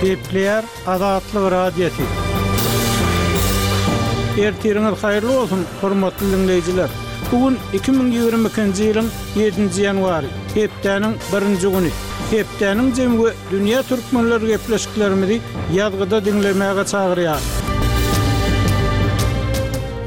Gepleýär Azatlyk Radiosy. Ertiriňiz haýyrly bolsun, hormatly diňleýjiler! Bu gün 2022-nji ýylyň ýedinji ýanwary, hepdäniň birinji güni. Hepdäniň jemi we dünýä türkmenleri gepleşiklerimizi ýazgyda diňlemäge çagyrýar.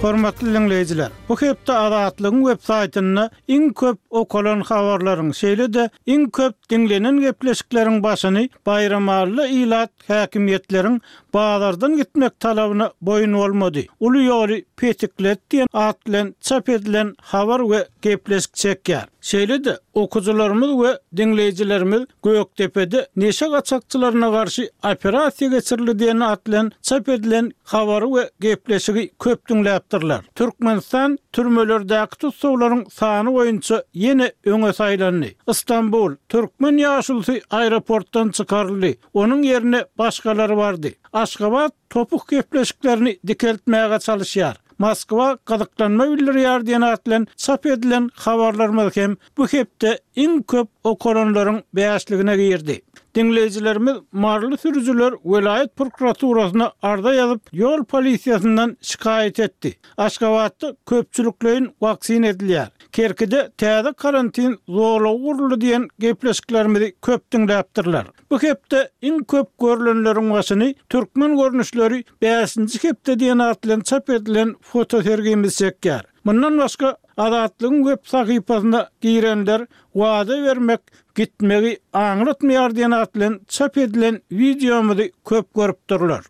Hormatly diňleýjiler, bu hepde Azatlygyň web saýtynda iň köp okalan habarlaryň, şeýle-de iň köp diňlenen gepleşikleriň başyny Baýramalyly ilat häkimiýetleriň bazardan gitmek talabyna boýun bolmady, uly ýoly petikledi diýen at bilen çap edilen habar we gepleşik çekýär. Şeýle-de, okyjylarymyz we diňleýjilerimiz Gökdepede neşe gaçakçylaryna garşy operasiýa geçirildi diýen at bilen çap edilen habary we gepleşigi köp diňläpdirler. Türkmenistan türmelerdäki tussaglaryň sany boýunça ýene öňe saýlandy. Stambul, türkmen ýaşulusy aeroportdan çykaryldy, onuň ýerine başgalary bardy. Aşgabat topuk gepleşiklerini dikeltmäge çalyşýar. Moskwa gyzyklanma bildirýär diýen at bilen çap edilen habarlarymyz hem bu hepde iň köp okalanlaryň bäşligine girdi. Diňleýjilerimiz maryly sürüjiler welaýat prokuraturasyna arza ýazyp, ýol polisiýasyndan şikaýat etdi. Aşgabatda köpçülikleýin waksina edilýär. Kerkide täze karantin zolagy guruldy diýen gepleşiklerimizi köp diňläpdirler. Bu hepde iň köp görlenleriň başyny Türkmen görnüşleri bäşinji hepde diýen at bilen çap edilen fotosergimiz çekýär. Mundan başga, Azatlygyň web sahypasyna girenler Wada bermek gitmegi aňlatmaýar diýen at bilen çap edilen wideomyzy köp görüpdirler.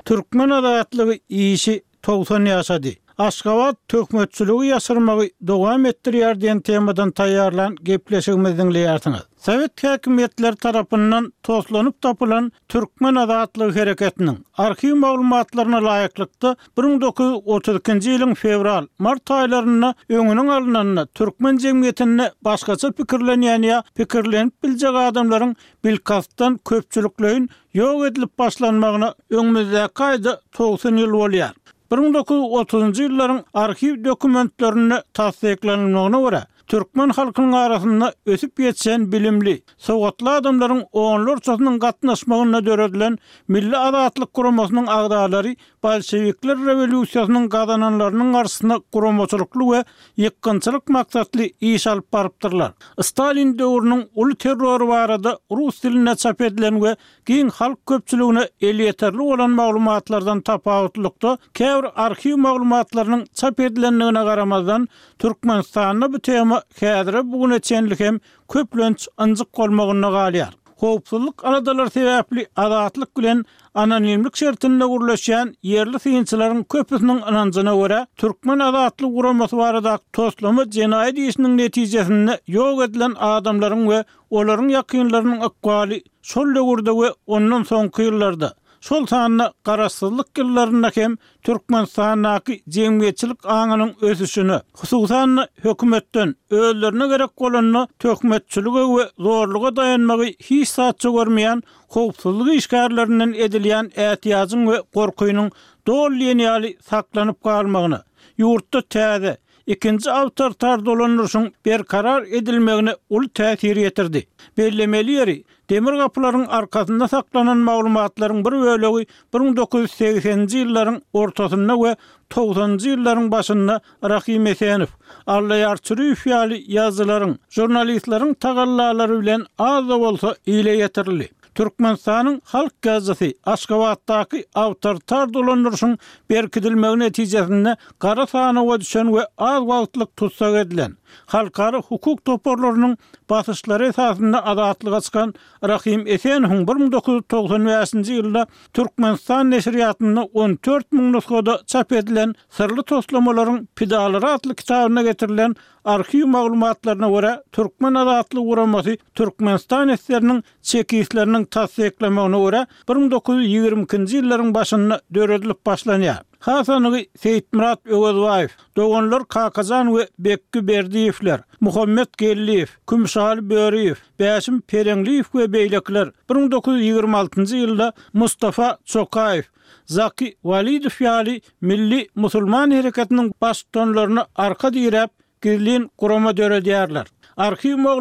Türkmen azatlygy işi 90 ýaşady. Aşgabat töhmetçiligi ýaşyrmagy dowam etdirýär diýen temadan taýýarlan gepleşigimizi diňleýärsiňiz. Sowet häkimiýetleri tarapyndan toslanyp tapylan Türkmen azatlygy hereketiniň arhiw maglumatlaryna laýyklykda, 1932-nji ýylyň fewral, mart aýlarynda öňüniň alnanda türkmen jemgyýetinde başgaça pikirlenýän ýa pikirlenip biljek adamlaryň bilkastdan köpçülikleýin ýok edilip başlanmagyna öňümizdäki aýda 90 ýyl bolýar. 1930-njy ýyllaryň arhiw dokumentlerinde tassyklanylmagyna görä, türkmen halkynyň arasynda ösüp ýetişen bilimli, sowatly adamlaryň onlarçasynyň gatnaşmagynda döredilen Milli azatlyk guramasynyň agzalary bolşewikler rewolýusiýasynyň gazananlarynyň garşysyna guramaçylykly we ýykgynçylyk maksatly iş alyp barypdyrlar. Stalin döwrüniň uly terrory barada rus dilinde çap edilen we giň halk köpçüligine elýeterli bolan maglumatlardan tapawutlylykda, käbir arhiw maglumatlarynyň çap edilendigine garamazdan, Türkmenistanda bu tema häzire bu güne çenli hem köplenç ynjyk bolmagynda galýar. Howpsuzlyk aladalary sebäpli Azatlyk bilen anonimlik şertinde gürleşýän ýerli synçylaryň köpüsiniň ynanjyna görä, Türkmen azatlygy guramasy baradaky toslama jenaýat işiniň netijesinde ýok edilen adamlaryň we olaryň ýakynlarynyň ykbaly şol döwürde we ondan soňky ýyllarda, şol sanda garaşsyzlyk ýyllarynda hem Türkmenistandaky jemgyýetçilik aňynyň ösüşine, hususan-da, hökümetden özlerine gerek bolanda töhmetçilige we zorluga daýanmagy hiç zatça görmeýän howpsuzlyk işgärlerinden edilýän ätiýajyň we gorkynyň doly diýen ýaly saklanyp galmagyna, ýurtda täze, ikinji awtoritar dolandyryşyň berkarar edilmegine uly täsir ýetirdi. Bellemeli ýeri, demir gapylaryň arkasynda saklanan maglumatlaryň bir bölegi 1980-nji ýyllaryň ortasynda we togsanynjy ýyllaryň başynda Rahym Esenow, Allaýar Çüriýew ýaly ýazyjylaryň, žurnalistleriň tagallalary bilen az-da bolsa ile ýetirildi. Türkmenistanyň halk ýazyjysy Aşgabatdaky awtoritar dolandyryşyň berkidilmegi netijesinde gara sanawa düşen we az wagtlyk tussag edilen, halkara hukuk toparlarynyň basyşlary esasynda azatlyga çykan Rahym Esenowyň 1995-nji ýylda Türkmenistan neşirýatynda 14 000 nusgada çap edilen Syrly toslamalaryň pidalary atly kitabynda getirilen arhiw maglumatlaryna görä, Türkmen azatlygy guramasy Türkmenistan esgeriniň çekistleriniň tassyklamagyna görä, 1922-nji ýyllaryň başynda döredilip başlanýar. Has anygy Seýitmyrat Öwezbaýew, doganlar Kakajan we Bekgi Berdiýewler, Muhammet Geldiýew, Kümüşaly Böriýew, Bäşim Pereňliýew we beýlekiler 1926-njy ýylda Mustafa Çokaýew, Zaki Walidow ýaly milli musulman hereketiniň baştutanlaryna arka diräp, gizlin gurama döredýärler. Arhiw maglumatlaryna.